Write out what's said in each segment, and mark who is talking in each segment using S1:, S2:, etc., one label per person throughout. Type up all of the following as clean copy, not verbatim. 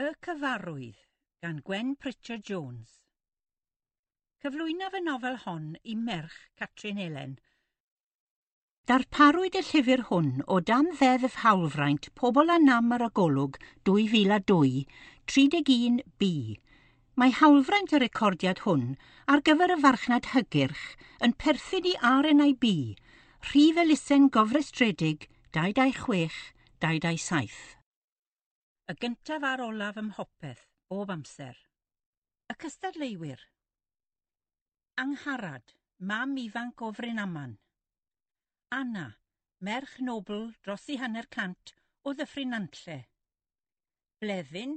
S1: Y Cyfarwydd gan Gwen Pritchard Jones. Cyflwynaf y nofel hon i merch Catrin Elen. Darparwyd y llyfr hwn o dan Ddeddf Hawlfraint Pobl â Nam ar y Golwg 2002, 31B. Mae hawlfraint y recordiad hwn ar gyfer y farchnad hygyrch yn perthyn i RNIB, rhif elusen gofrestredig 226 227. Y gyntaf a'r olaf ym mhopeth, bob amser. Y cystadleuwyr. Angharad, mam ifanc o Frynaman. Anna, merch nobl dros i 50 o Ddyffryn Nantlle. Bleddyn,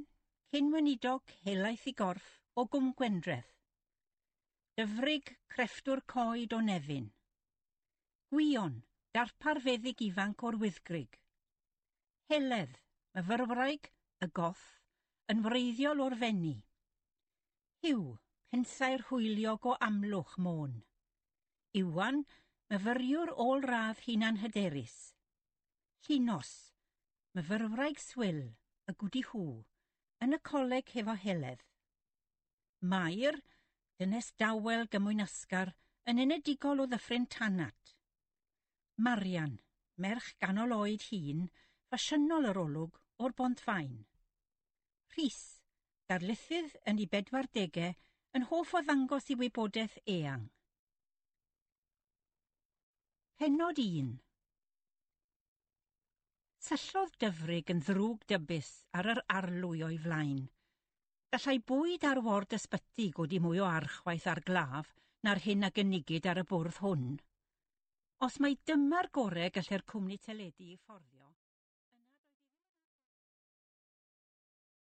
S1: cyn-weinidog helaeth i gorff o Gwm Gwendreth. Dyfrig, crefftwr coed o Nefyn. Gwion, darpar feddyg ifanc o'r Wyddgrug. Heledd, myfyrwraig, y goth, yn wreiddiol o'r Fenni. Huw, pensaer hwyliog o Amlwch, Môn. Iwan, myfyriwr ôl-radd hunanhyderus. Llinos, myfyrwraig swil, y gwdi hw, yn y coleg hefo Heledd. Mair, dynes dawel gymwynasgar, yn enedigol o Ddyffryn Tanat. Marian, merch ganol oed hŷn, ffasiynol yr olwg, o'r Bont-faen. Rhys, darlithydd yn ei bedwardegau, yn hoff o ddangos ei wybodaeth eang. Pennod 1. Syllodd Dyfrig yn ddrwg dybus ar yr arlwy o'i flaen. Gallai bwyd ar ward ysbyty godi mwy o archwaeth ar glaf na'r hyn a gynigid ar y bwrdd hwn. Os mai dyma'r gorau gallai'r cwmni teledu ei fforddio,